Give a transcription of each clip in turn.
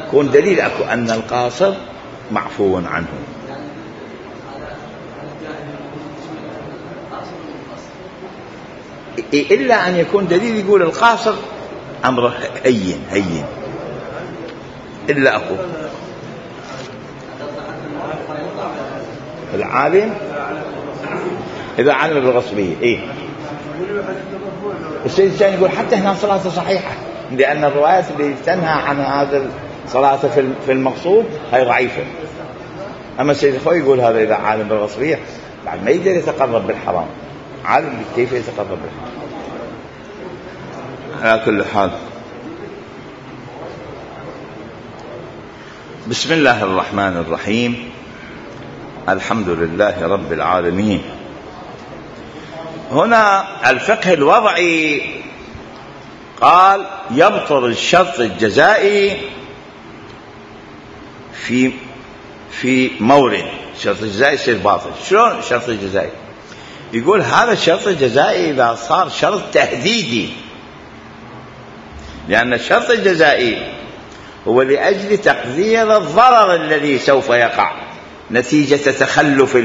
يكون دليل أكو أن القاصر معفو عنه. إلا أن يكون دليل يقول القاصر أمره هين إلا أكو العالم إذا علم بالغصبية. إيه السيد الثاني يقول حتى هنا صلاته صحيحة، لأن الروايات اللي تنهى عن هذا الصلاة في المقصود هي ضعيفة. أما السيد الخوي يقول هذا إذا عالم بالغصبية بعد ما يقدر يتقرب بالحرام، عالم كيف يتقرب بالحرام. على كل حال، بسم الله الرحمن الرحيم، الحمد لله رب العالمين. هنا الفقه الوضعي قال يبطل الشرط الجزائي في مورد. الشرط الجزائي يصير باطل. شلون الشرط الجزائي؟ يقول هذا الشرط الجزائي إذا صار شرط تهديدي، لأن الشرط الجزائي هو لأجل تقدير الضرر الذي سوف يقع نتيجة تخلف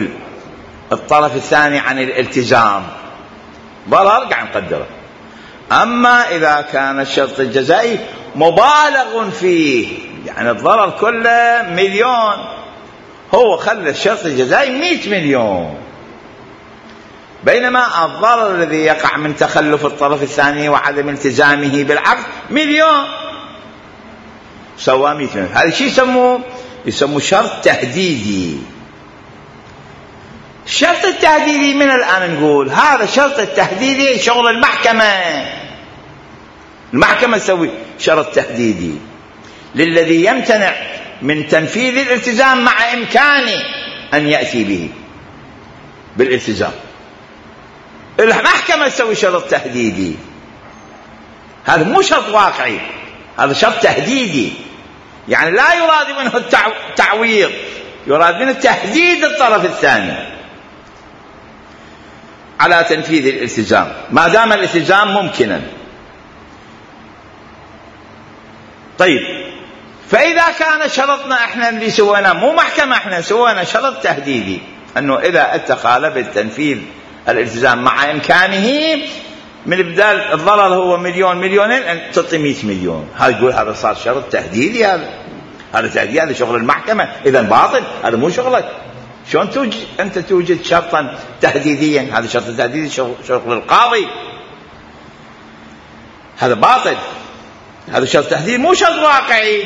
الطرف الثاني عن الالتزام، ضرر قاعد نقدره. أما إذا كان الشرط الجزائي مبالغ فيه، يعني الضرر كله 1,000,000، هو خلى الشرط الجزائي 100 مليون، بينما الضرر الذي يقع من تخلف الطرف الثاني وعدم التزامه بالعقد 1,000,000، سوى 100 مليون. هذا شيء يسموه شرط تهديدي. الشرط التهديدي من الآن نقول هذا الشرط التهديدي شغل المحكمة تسوي شرط تهديدي للذي يمتنع من تنفيذ الالتزام مع إمكانه أن يأتي به بالالتزام. المحكمة تسوي شرط تهديدي، هذا مو شرط واقعي، هذا شرط تهديدي، يعني لا يراد منه التعويض، يراد منه تهديد الطرف الثاني على تنفيذ الالتزام ما دام الالتزام ممكنا. طيب، فإذا كان شرطنا احنا اللي سوينا مو محكمة، احنا سوينا شرط تهديدي أنه إذا اتخالف التنفيذ الالتزام مع إمكانه من بدال الضرر هو 1,000,000 2,000,000 تعطي 100 مليون، هذا يقول هذا صار شرط تهديدي، هذا تهديد، هذا شغل المحكمة، إذا باطل، هذا مو شغلك. شلون أنت توجد شرطا تهديديا؟ هذا شرط تهديدي شغل القاضي، هذا باطل، هذا شرط تهديد مو شرط واقعي،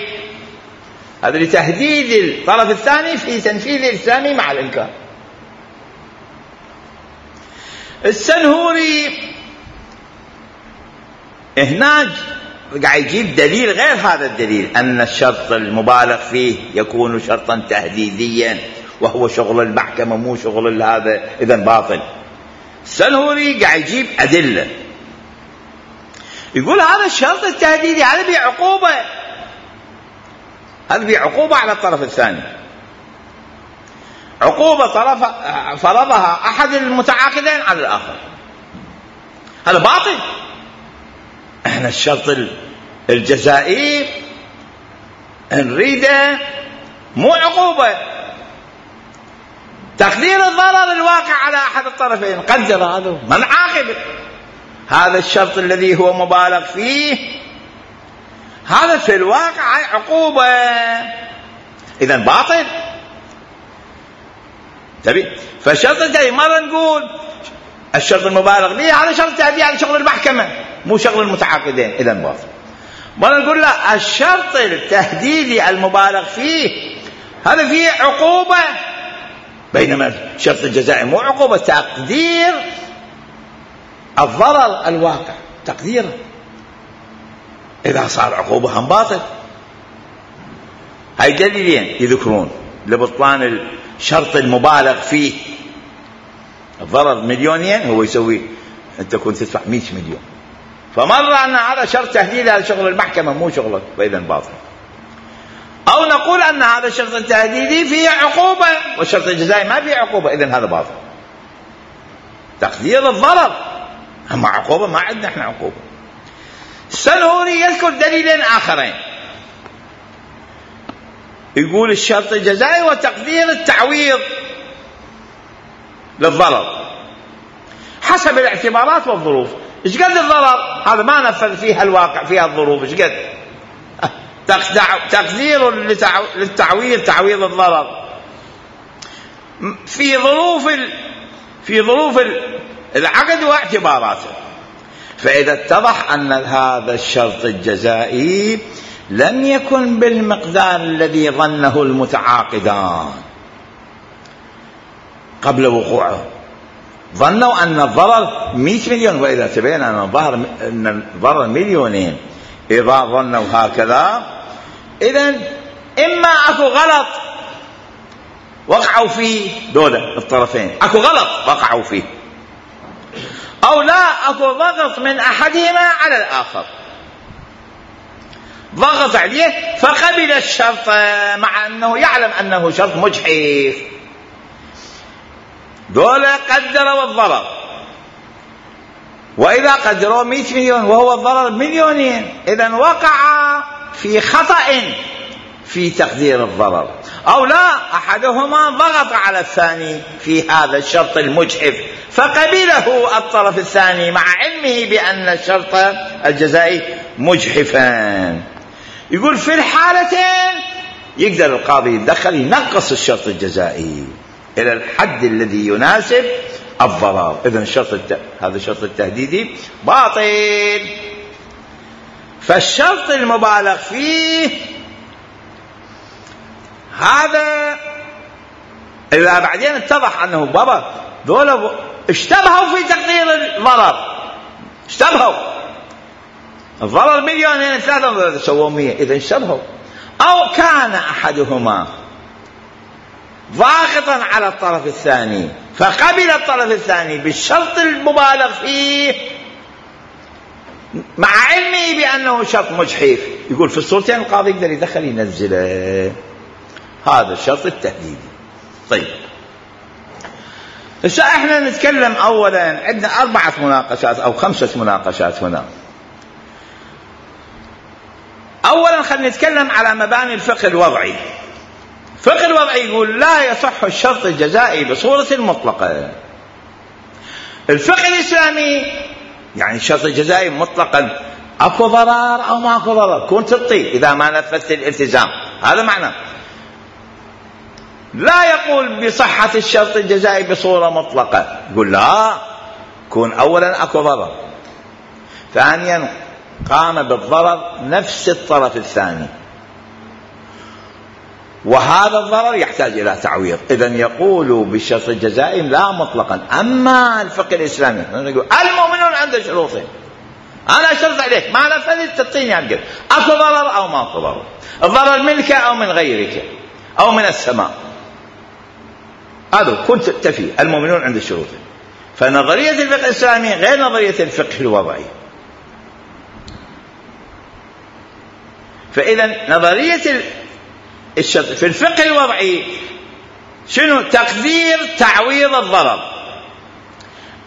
هذا لتهديد الطرف الثاني في تنفيذ الإلزامي مع الإمكان. السنهوري هناك قاعد يجيب دليل غير هذا الدليل، أن الشرط المبالغ فيه يكون شرطا تهديديا وهو شغل المحكمة مو شغل هذا، إذن باطل. السنهوري قاعد يجيب أدلة، يقول هذا الشرط التهديدي هذا بعقوبة، هذا بعقوبة على الطرف الثاني، عقوبة فرضها أحد المتعاقدين على الآخر، هذا باطل. احنا الشرط الجزائي نريده مو عقوبة، تقدير الضرر الواقع على أحد الطرفين، قدر هذا ما نعاقب. هذا الشرط الذي هو مبالغ فيه هذا في الواقع عقوبة، إذن باطل. تبي فالشرط الجزائي مرة نقول الشرط المبالغ فيه هذا شرط تهديدي، هذا شغل المحكمة مو شغل المتعاقدين، إذن باطل. مرة نقول لا، الشرط التهديدي المبالغ فيه هذا فيه عقوبة، بينما الشرط الجزائي مو عقوبة، تقدير الضرر الواقع، تقديره، إذا صار عقوبة هم باطل. هاي دليلين يذكرون لبطلان الشرط المبالغ فيه. الضرر 1,000,000 هو يسوي أنت كنت تدفع 100 مليون، فمرة أن هذا شرط تهديد، هذا شغل المحكمة مو شغلك، فإذا باطل. أو نقول أن هذا الشرط التهديدي فيه عقوبة والشرط الجزائي ما فيه عقوبة، إذن هذا باطل، تقدير الضرر، أما عقوبة ما عندنا احنا عقوبة. السنهوري يذكر دليلين آخرين، يقول الشرط الجزائي وتقدير التعويض للضرر حسب الاعتبارات والظروف. ايش قد الضرر؟ هذا ما نفذ فيها الواقع، فيها الظروف ايش قد تقدير للتعويض، تعويض الضرر في ظروف العقد واعتباراته. فإذا اتضح أن هذا الشرط الجزائي لم يكن بالمقدار الذي ظنه المتعاقدان قبل وقوعه، ظنوا أن الضرر 100 مليون، وإذا تبين أن الضرر مليونين إذا ظنوا هكذا، إذن إما أكو غلط وقعوا فيه دولة الطرفين، أكو غلط وقعوا فيه، أو لا أكو ضغط من أحدهما على الآخر، ضغط عليه فقبل الشرط مع أنه يعلم أنه شرط مجحف. دولة قدروا الضرر، وإذا قدروا 100 مليون وهو الضرر مليونين، إذن وقع في خطأ في تقدير الضرر، أو لا أحدهما ضغط على الثاني في هذا الشرط المجحف فقبله الطرف الثاني مع علمه بأن الشرط الجزائي مجحفا. يقول في الحالتين يقدر القاضي يتدخل ينقص الشرط الجزائي إلى الحد الذي يناسب الضرر. إذن هذا الشرط التهديدي باطل. فالشرط المبالغ فيه هذا إذا بعدين اتضح أنه بابا دولة اشتبهوا في تقدير الضرر، اشتبهوا الضرر مليونين 3 سووا 100، إذا اشتبهوا، أو كان أحدهما ضاغطا على الطرف الثاني فقبل الطرف الثاني بالشرط المبالغ فيه مع علمه بأنه شرط مجحف، يقول في الصورتين القاضي يقدر يدخل ينزله. هذا الشرط التهديدي. طيب هسه احنا نتكلم اولا، عندنا 4 مناقشات او 5 مناقشات هنا. اولا خلينا نتكلم على مباني الفقه الوضعي. الفقه الوضعي يقول لا يصح الشرط الجزائي بصورة مطلقة. الفقه الاسلامي يعني الشرط الجزائي مطلقا اكو ضرر او ما اكو ضرر، كون تطي اذا ما نفذت الالتزام، هذا معنى. لا يقول بصحة الشرط الجزائي بصورة مطلقة، يقول لا، كون أولا أكو ضرر، ثانيا قام بالضرر نفس الطرف الثاني، وهذا الضرر يحتاج إلى تعويض، إذن يقول بالشرط الجزائي لا مطلقا. أما الفقه الإسلامي يقول المؤمنون عند شروطهم، أنا أشرط عليك ما نفذت تعطيني القدر، أكو ضرر أو ما أكو ضرر، الضرر منك أو من غيرك أو من السماء، هذا كنت تفي المؤمنون عند الشروط. فنظرية الفقه الإسلامي غير نظرية الفقه الوضعي. فإذا نظرية الشرط في الفقه الوضعي شنو؟ تقدير تعويض الضرر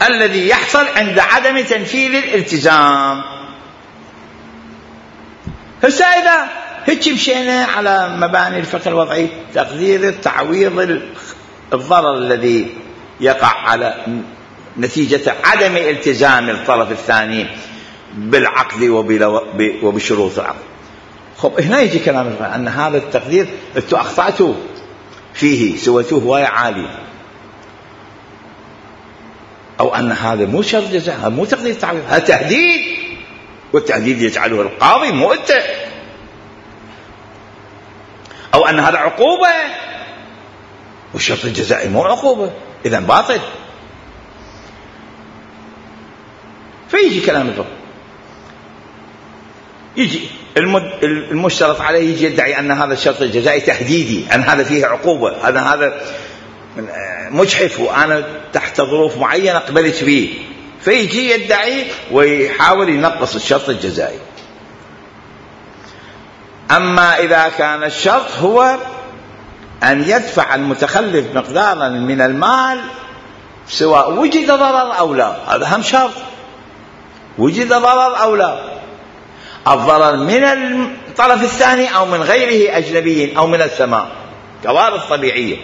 الذي يحصل عند عدم تنفيذ الالتزام. هسه إذا هيك مشينا على مباني الفقه الوضعي، تقدير تعويض الضرر الذي يقع على نتيجة عدم التزام الطرف الثاني بالعقد وبشروط العقد. خب هنا يجي كلام أن هذا التقدير أنتوا أخطأتوا فيه، سويتوه هواية عالي، أو أن هذا مو شرط جزاء، هذا مو تقدير تعويض، هذا تهديد، والتهديد يجعله القاضي مو أنت، أو أن هذا عقوبة، والشرط الجزائي مو عقوبة، إذن باطل. فيجي كلام الفقه، يجي المشترط عليه يجي يدعي أن هذا الشرط الجزائي تهديدي، أن هذا فيه عقوبة، أن هذا مجحف وأنا تحت ظروف معينة قبلت به، فيجي يدعي ويحاول ينقص الشرط الجزائي. أما إذا كان الشرط هو أن يدفع المتخلف مقدارا من المال سواء وجد ضرر أو لا، هذا هم شرط، وجد ضرر أو لا، الضرر من الطرف الثاني أو من غيره أجنبي أو من السماء، كوارث طبيعية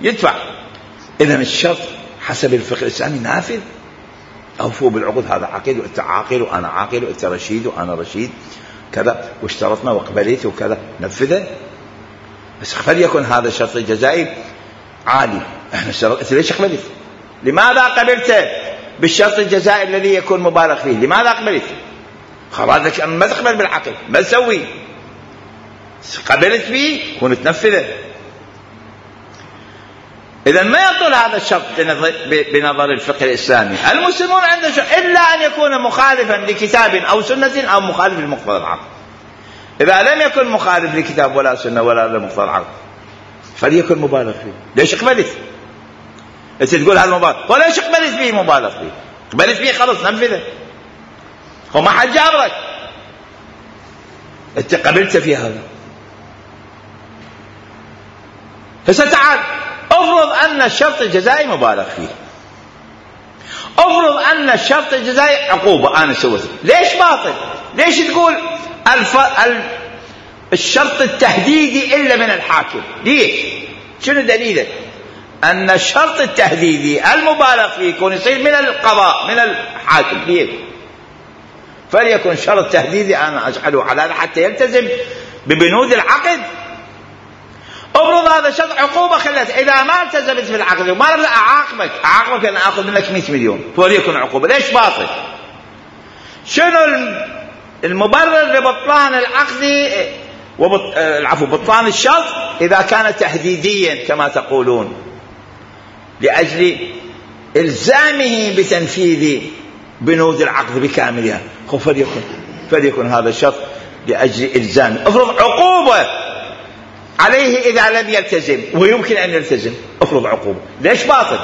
يدفع. إذن الشرط حسب الفقه الإسلامي نافذ. أوفوا بالعقود، هذا عقد وأنت عاقل وأنا عاقل وأنت رشيد وأنا رشيد كذا، واشترطنا وقبلت وكذا، نفذه. بس فليكن هذا الشرط الجزائي عالي. احنا اشترطت، ليش قبلت؟ لماذا قبلت بالشرط الجزائي الذي يكون مبالغ فيه؟ لماذا قبلت؟ خلاص ما تقبل بالعقل، ما تسوي، قبلت فيه ونتنفذه. إذا ما يطول هذا الشرط بنظر الفقه الإسلامي. المسلمون عند شرط إلا أن يكون مخالفا لكتاب أو سنة أو مخالف لمقتضى العقل. إذا لم يكن مخالف لكتاب ولا سنة ولا لمقتضى العقل فليكن مبالغ فيه. ليش قبلت؟ أنت تقول هذا مبالغ، وليش قبلت فيه مبالغ فيه؟ قبلت فيه خلص ننفذه، هو ما حد جابرك، أنت قبلت في هذا. فستعال افرض أن الشرط الجزائي مبالغ فيه، افرض أن الشرط الجزائي عقوبة أنا سويته، ليش باطل؟ ليش تقول الشرط التهديدي إلا من الحاكم؟ ليش؟ شنو دليلك أن الشرط التهديدي المبالغ فيه يكون يصير من القضاء من الحاكم؟ ليش؟ فليكن شرط تهديدي أنا أجعله على حتى يلتزم ببنود العقد. افرض هذا شرط عقوبة خلت إذا ما التزمت في العقد وما رضى أعاقبك أن أخذ منك 100 مليون، فليكن عقوبة. ليش باطل؟ شنو المبرر لبطلان العقد بطلان الشرط إذا كان تهديديا كما تقولون لأجل إلزامه بتنفيذ بنود العقد بكاملها، فليكن هذا الشرط لأجل إلزامه. افرض عقوبة عليه إذا لم يلتزم ويمكن أن يلتزم، افرض عقوبة. ليش باطل؟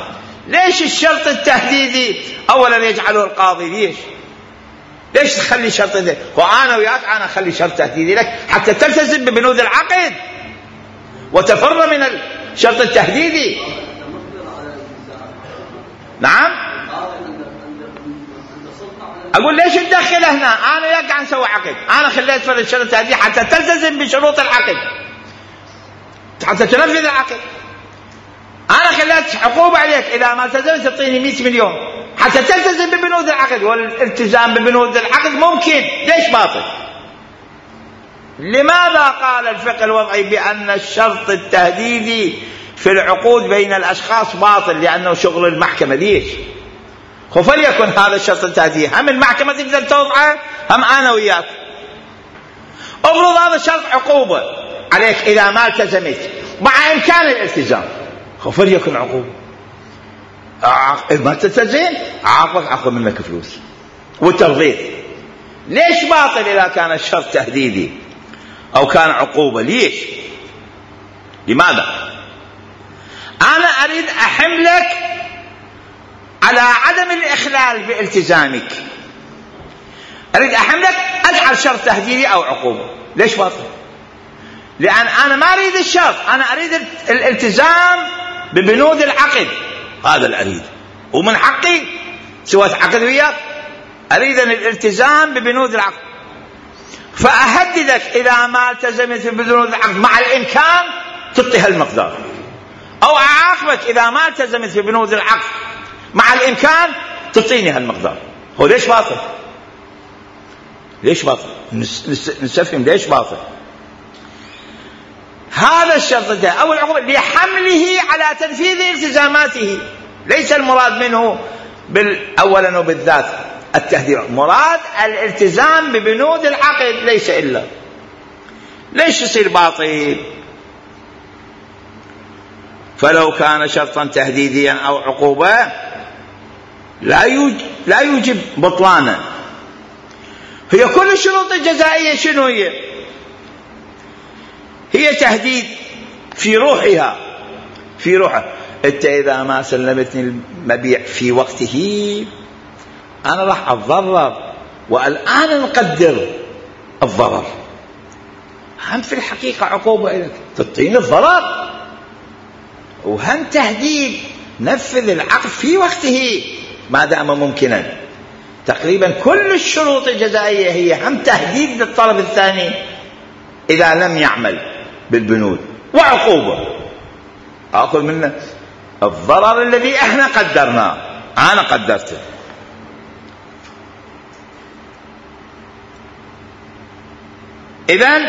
ليش الشرط التهديدي أولا يجعله القاضي؟ ليش تخلي شرط ذلك؟ وأنا وياك أنا أخلي شرط تهديدي لك حتى تلتزم ببنود العقد وتفر من الشرط التهديدي. نعم، أقول ليش تدخل هنا؟ أنا وياك نسوي عقد، أنا خليت في الشرط التهديدي حتى تلتزم بشروط العقد، حتى تنفذ العقد. أنا خليت عقوبة عليك إذا ما التزمت تعطيني 100 مليون حتى تلتزم ببنود العقد، والالتزام ببنود العقد ممكن. ليش باطل؟ لماذا قال الفقه الوضعي بأن الشرط التهديدي في العقود بين الأشخاص باطل؟ لأنه شغل المحكمة. ليش؟ فليكن هذا الشرط التهديدي هم المحكمة تقدر توضعه هم أنا وياك. افرض هذا الشرط عقوبة عليك إذا ما التزمت مع إمكان الالتزام، فليكن عقوبة. ما تلتزم عاقبك، أخذ منك فلوس وترضيت. ليش باطل إذا كان الشرط تهديدي أو كان عقوبة؟ ليش؟ لماذا؟ أنا أريد أحملك على عدم الإخلال بالتزامك، أريد أحملك أجعل شرط تهديدي أو عقوبة. ليش باطل؟ لأن أنا ما أريد الشرط، أنا أريد الالتزام ببنود العقد، هذا اللي أريد، ومن حقي سويت عقد وياك أريد الالتزام ببنود العقد. فأهددك إذا ما التزمت ببنود العقد مع الإمكان تعطي هالمقدار، أو أعاقبك إذا ما التزمت ببنود العقد مع الإمكان تعطيني هالمقدار. هو ليش باطل؟ ليش باطل؟ نستفهم ليش باطل. هذا الشرط ده أو العقوبة لحمله على تنفيذ التزاماته، ليس المراد منه أولا وبالذات التهديد، مراد الالتزام ببنود العقد ليس إلا. ليش يصير باطل؟ فلو كان شرطا تهديديا أو عقوبة لا يوجب بطلانا. هي كل الشروط الجزائية شنو هي؟ هي تهديد في روحها، في روحها. انت اذا ما سلمتني المبيع في وقته انا راح اتضرر، والان نقدر الضرر. هم في الحقيقة عقوبة لك تعطيني الضرر، وهم تهديد نفذ العقد في وقته ما دام ممكنا. تقريبا كل الشروط الجزائية هي هم تهديد للطرف الثاني إذا لم يعمل بالبنود، وعقوبة أخذ منه الضرر الذي احنا قدرناه، أنا قدرته. إذن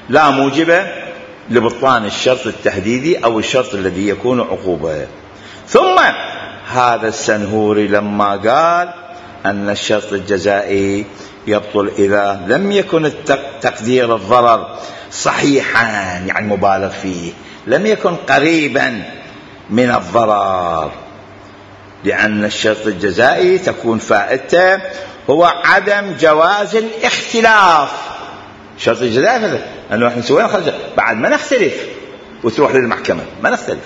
لا موجب لبطلان الشرط التهديدي أو الشرط الذي يكون عقوبة. ثم هذا السنهوري لما قال أن الشرط الجزائي يبطل إذا لم يكن تقدير الضرر صحيحا، يعني مبالغ فيه، لم يكن قريبا من الضرر، لأن الشرط الجزائي تكون فائدته هو عدم جواز الاختلاف. الشرط الجزائي أنه احنا سوينا خرج بعد ما نختلف وتروح للمحكمة، ما نختلف،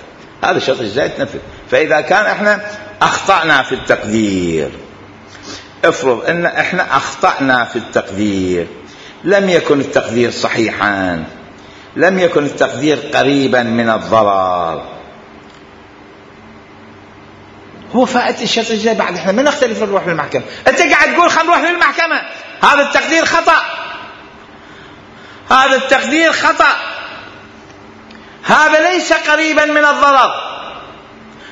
هذا الشرط الجزائي تنفذ. فإذا كان احنا أخطأنا في التقدير، افرض ان احنا أخطأنا في التقدير، لم يكن التقدير صحيحا، لم يكن التقدير قريبا من الضرر، هو فائدة الشرط الجزائي بعد احنا ما نختلف نروح للمحكمة. انت قاعد تقول خلينا نروح للمحكمة، هذا التقدير خطأ، هذا التقدير خطأ، هذا ليس قريبا من الضرر،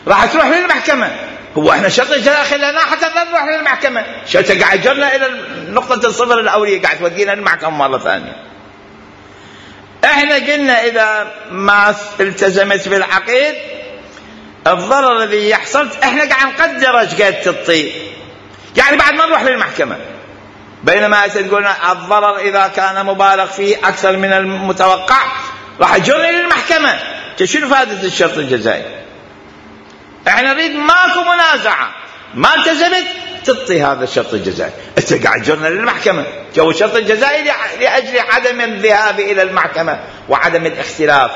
راح تروح للمحكمة. هو احنا شرط الجزائي خلينا حتى نروح للمحكمة، شرط قاعد جرنا الى نقطة الصفر الأولية، قاعد تودينا للمحكمة مرة ثانية. احنا قلنا اذا ما التزمت بالعقيد الضرر الذي يحصل احنا قاعد نقدر ايش قد تطي، يعني بعد ما نروح للمحكمة. بينما تقول الضرر اذا كان مبالغ فيه اكثر من المتوقع راح يجرني للمحكمة. شنو فائدة الشرط الجزائي؟ احنا نريد ماكو منازعة، ما التزمت تطي هذا الشرط الجزائي، انت قاعد جرنا للمحكمة. جو الشرط الجزائي لأجل عدم الذهاب إلى المحكمة وعدم الاختلاف،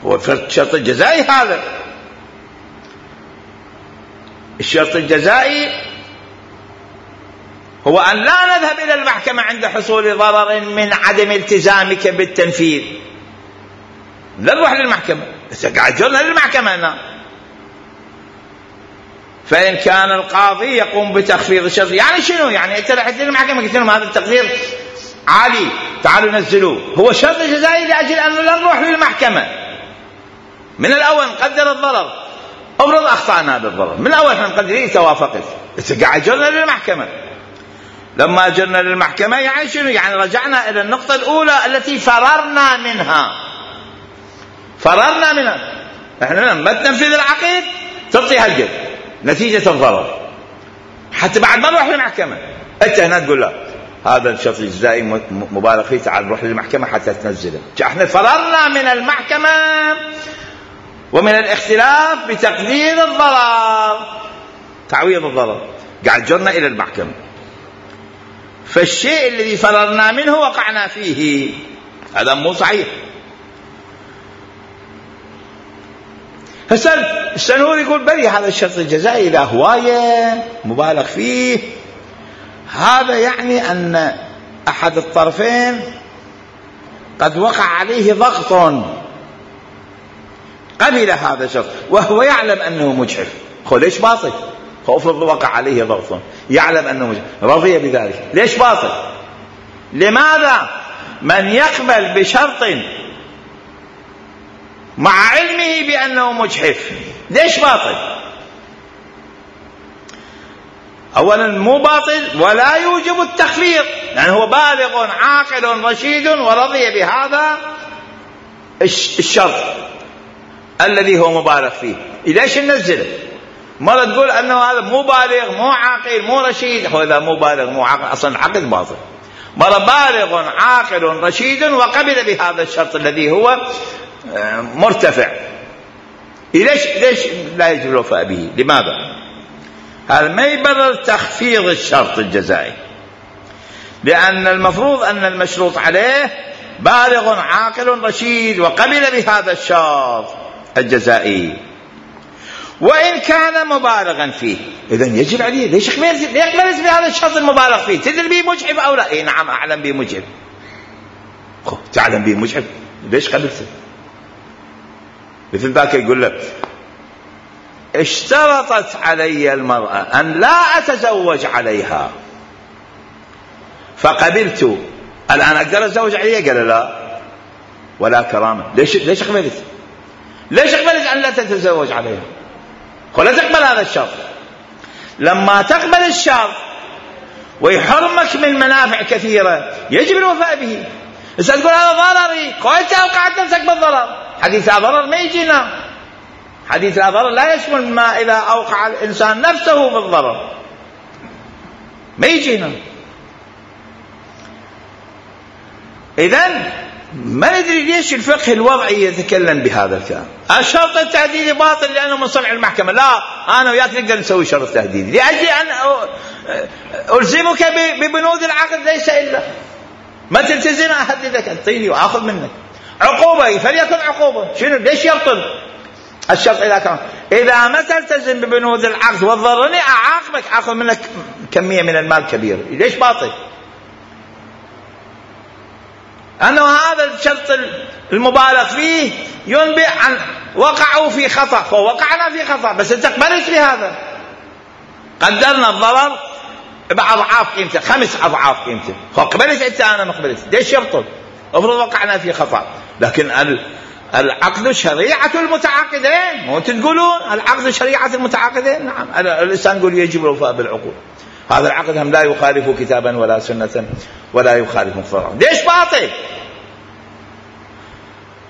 هو الشرط الجزائي هذا. الشرط الجزائي هو أن لا نذهب إلى المحكمة عند حصول ضرر من عدم التزامك بالتنفيذ، لا نروح للمحكمة، انت قاعد جرنا للمحكمة هنا. فإن كان القاضي يقوم بتخفيض الشرط، يعني شنو؟ يعني انت رحت للمحكمة قلت لهم هذا التقدير عالي تعالوا نزلوه، هو شرط جزائي لأجل أنه لا نروح للمحكمة من الأول نقدر الضرر. أفرض أخطأنا بالضرر من الأول احنا مقدرين توافقت، انت قاعد جرنا للمحكمة. لما جرنا للمحكمة يعني شنو؟ يعني رجعنا إلى النقطة الأولى التي فررنا منها. احنا لما تنفذ العقيد تعطي هالقد نتيجة الضرر، حتى بعد ما نروح للمحكمة انت هنا تقول لا هذا الشرط الجزائي مبالغ فيه، تعال نروح للمحكمة حتى تنزله. احنا فررنا من المحكمة ومن الاختلاف بتقدير الضرر، تعويض الضرر، قاعد جرنا إلى المحكمة. فالشيء الذي فررنا منه وقعنا فيه، هذا مو صحيح. هسه السنهوري يقول بلي هذا الشرط الجزائي إذا هواية مبالغ فيه، هذا يعني أن أحد الطرفين قد وقع عليه ضغط قبل هذا الشرط وهو يعلم أنه مجحف. ليش باطل؟ افرض وقع عليه ضغط يعلم أنه مجحف رضي بذلك، ليش باطل؟ لماذا من يقبل بشرط مع علمه بأنه مجحف ليش باطل؟ أولا مو باطل ولا يوجب التخفيض، يعني هو بالغ عاقل رشيد ورضي بهذا الشرط الذي هو مبالغ فيه، ليش ننزله؟ مرة تقول أنه هذا مو بالغ مو عاقل مو رشيد، هو إذا مو بالغ مو عاقل أصلا العقد باطل. مرة بالغ عاقل رشيد وقبل بهذا الشرط الذي هو مرتفع، ليش لا يجب الوفاء به؟ لماذا؟ هذا ما يبرر تخفيض الشرط الجزائي، لأن المفروض أن المشروط عليه بالغ عاقل رشيد وقبل بهذا الشرط الجزائي، وإن كان مبالغا فيه إذن يجب عليه. ليش يقبل بهذا الشرط المبالغ فيه؟ تدري به مجحف أو لا؟ نعم أعلم به مجحف. تعلم به مجحف ليش قبلته؟ مثل ذاك يقول لك اشترطت علي المرأة أن لا أتزوج عليها فقبلت، الآن أقدر أتزوج عليها؟ قال لا، ولا كرامة. ليش قبلت؟ ليش قبلت أن لا تتزوج عليها؟ ولا تقبل هذا الشرط. لما تقبل الشرط ويحرمك من منافع كثيرة يجب الوفاء به. إذا تقول هذا ضرري، قلت أوقعت نفسك بالضرر. حديث لا ضرر ما يجينا. حديث لا ضرر لا يشمل ما إذا أوقع الإنسان نفسه بالضرر، ما يجينا. إذن ما ندري ليش الفقه الوضعي يتكلم بهذا الكلام. الشرط التهديدي باطل لأنه من صنع المحكمة. لا، أنا وياك نقدر نسوي شرط تهديدي لأجل أن ألزمك ببنود العقد، ليس إلا ما تلتزم أهددك، أعطيني وآخذ منك عقوبة، فليكن عقوبة. شنو؟ ليش يبطل الشرط إذا ما تلتزم ببنود العقد وتضرني أعاقبك، أخذ منك كمية من المال كبيرة. ليش باطل؟ أنه هذا الشرط المبالغ فيه ينبئ عن وقعوا في خطأ، فوقعنا في خطأ، بس أنت قبلت بهذا. قدرنا الضرر بأضعاف قيمته، 5 أضعاف قيمته، فقبلت أنت، أنا ما قبلت. ليش يبطل؟ افرض وقعنا في خطأ. لكن العقد شريعة المتعاقدين، مو تقولون العقد شريعة المتعاقدين؟ نعم، الإنسان يقول يجب الوفاء بالعقود. هذا العقد هم لا يخالف كتابا ولا سنة ولا يخالف مقتضاه. ليش باطل؟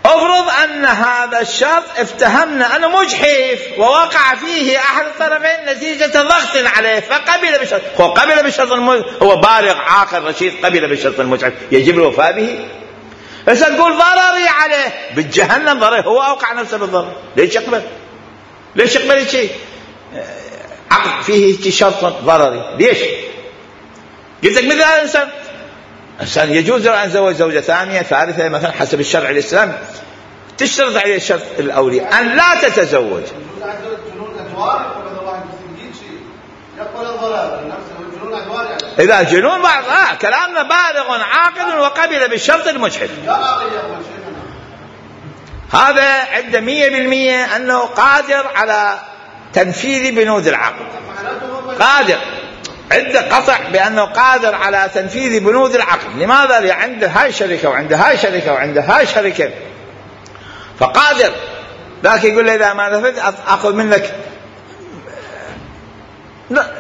افرض أن هذا الشرط افتهمنا أنه مجحف ووقع فيه أحد الطرفين نتيجة ضغط عليه فقبل بشرط. هو قبل بشرط هو بالغ عاقل رشيد، قبل بشرط المجحف، يجب الوفاء به. بس تقول ضرري عليه بالجهنم، ضرر، هو أوقع نفسه بالضرر. ليش يقبل؟ ليش يقبل شيء عقد فيه شرط ضرري؟ ليش؟ قلت لك مثل هذا الإنسان يجوز له أن يتزوج زوجة ثانية ثالثة مثلا حسب الشرع الإسلامي، تشترط عليه الشرط الأولي أن لا تتزوج. إذا جنون بعض كلامنا بالغ عاقل وقبل بالشرط المجحف، هذا عنده 100% أنه قادر على تنفيذ بنود العقد، قادر، عنده قطع بأنه قادر على تنفيذ بنود العقد. لماذا؟ لأن عنده هاي شركة وعنده هاي شركة وعنده هاي شركة، فقادر. لكن يقول له إذا ما نفذت أخذ منك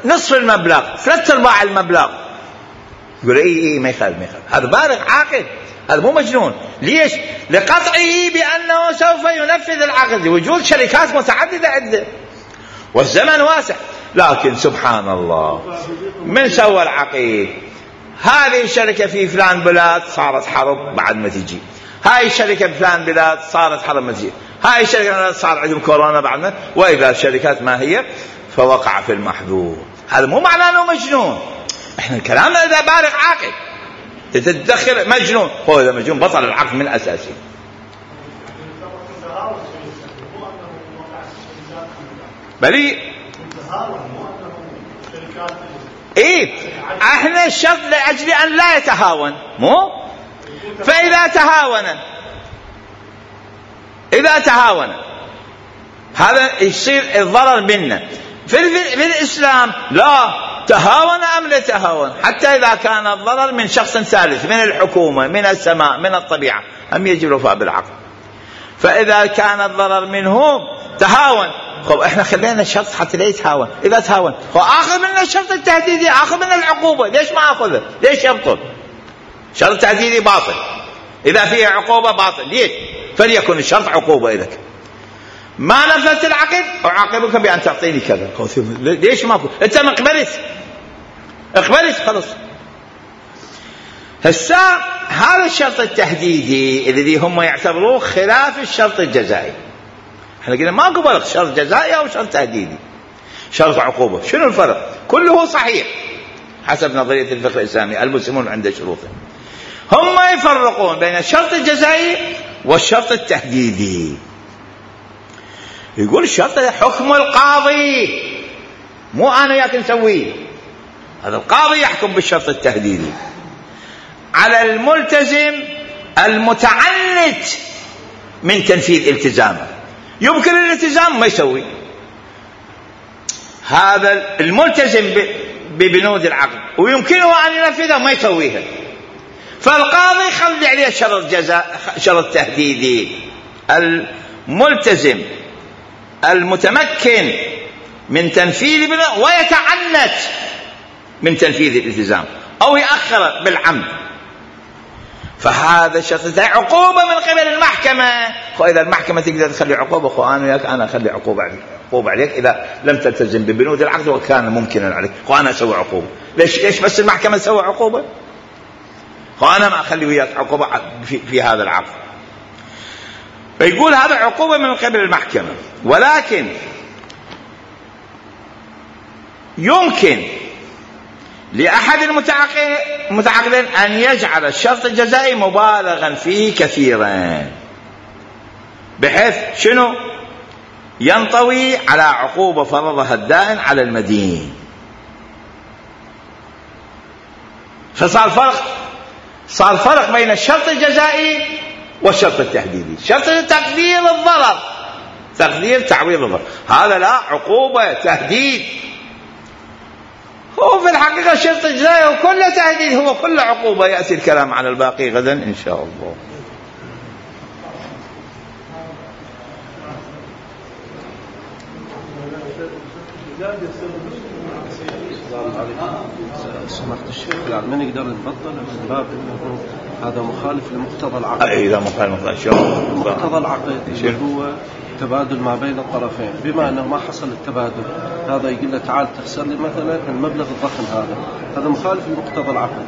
نصف المبلغ، 3/4 المبلغ. يقول إيه ما يخالف، هذا بالغ عاقل، هذا مو مجنون. ليش؟ لقطعه بأنه سوف ينفذ العقد لوجود شركات متعددة عنده والزمن واسع. لكن سبحان الله، من سوى العقيد؟ هذه الشركة في فلان بلاد صارت حرب بعد ما تجي، هاي الشركة بفلان بلاد صارت حرب ما تجي، هاي الشركة صار عندهم كورونا بعد ما، وإذا الشركات ما هي فوقع في المحظور. هذا مو معناه أنه مجنون. إحنا كلامنا إذا بالغ عاقل، تتدخل مجنون، هو إذا مجنون بطل العقد من أساسه. بلي إيه، إحنا الشرط لأجل أن لا يتهاون، مو فإذا تهاون هذا يصير الضرر منا. في الإسلام لا تهاون أم لا تهاون، حتى إذا كان الضرر من شخص ثالث، من الحكومة، من السماء، من الطبيعة، هم يجب الوفاء بالعقد. فإذا كان الضرر منهم تهاون، خب احنا خلينا الشرط حتى لا يتهاون. إذا تهاون آخذ من الشرط التهديدي، آخذ من العقوبة. ليش ما أخذه؟ ليش يبطل؟ شرط تهديدي باطل، إذا فيه عقوبة باطل. ليش؟ فليكن الشرط عقوبة. إذا ما نفذت العقد أعاقبك بأن تعطيني كذا. ليش ما أقول؟ أنت ما اقبلت خلص. هسا هذا الشرط التهديدي الذي هم يعتبروه خلاف الشرط الجزائي. احنا قلنا ما قبل شرط جزائي أو شرط تهديدي، شرط عقوبة. شنو الفرق؟ كله صحيح حسب نظرية الفقه الإسلامي، المسلمون عند شروطهم. هم يفرقون بين الشرط الجزائي والشرط التهديدي. يقول الشرط حكم القاضي، مو أنا ياك نسويه. هذا القاضي يحكم بالشرط التهديدي على الملتزم المتعنت من تنفيذ التزامه. يمكن الالتزام ما يسوي، هذا الملتزم ببنود العقد ويمكنه أن ينفذها وما يسويها، فالقاضي يخلي عليه شرط جزاء، شرط تهديدي. الملتزم المتمكن من تنفيذ ويتعنت من تنفيذ الالتزام أو يأخر بالعمد، فهذا شرط عقوبة من قبل المحكمة. وإذا المحكمة تقدر تخلي عقوبة، أنا أخلي عقوبة عليك إذا لم تلتزم ببنود العقد وكان ممكنا عليك، وأنا أسوي عقوبة. ليش بس المحكمة تسوي عقوبة؟ وأنا ما أخلي وياك عقوبة في هذا العقد. فيقول هذا عقوبة من قبل المحكمة. ولكن يمكن لأحد المتعاقدين أن يجعل الشرط الجزائي مبالغا فيه كثيرا، بحيث شنو؟ ينطوي على عقوبة فرضها الدائن على المدين. صار فرق بين الشرط الجزائي والشرط التهديدي. شرط تقدير الضرر، تقدير تعويض الضرر، هذا لا، عقوبة تهديد. هو في الحقيقة الشرط الجزائي وكله تهديد، هو كله عقوبة. يأتي الكلام على الباقي غدا إن شاء الله. سمحت الشيخ، يعني ما نقدر نبطل من باب انه هذا مخالف لمقتضى العقد. اذا مخالف مقتضى العقد اللي هو تبادل ما بين الطرفين، بما انه ما حصل التبادل، هذا يقول له تعال تخسر لي مثلا المبلغ الضخم هذا مخالف لمقتضى العقد.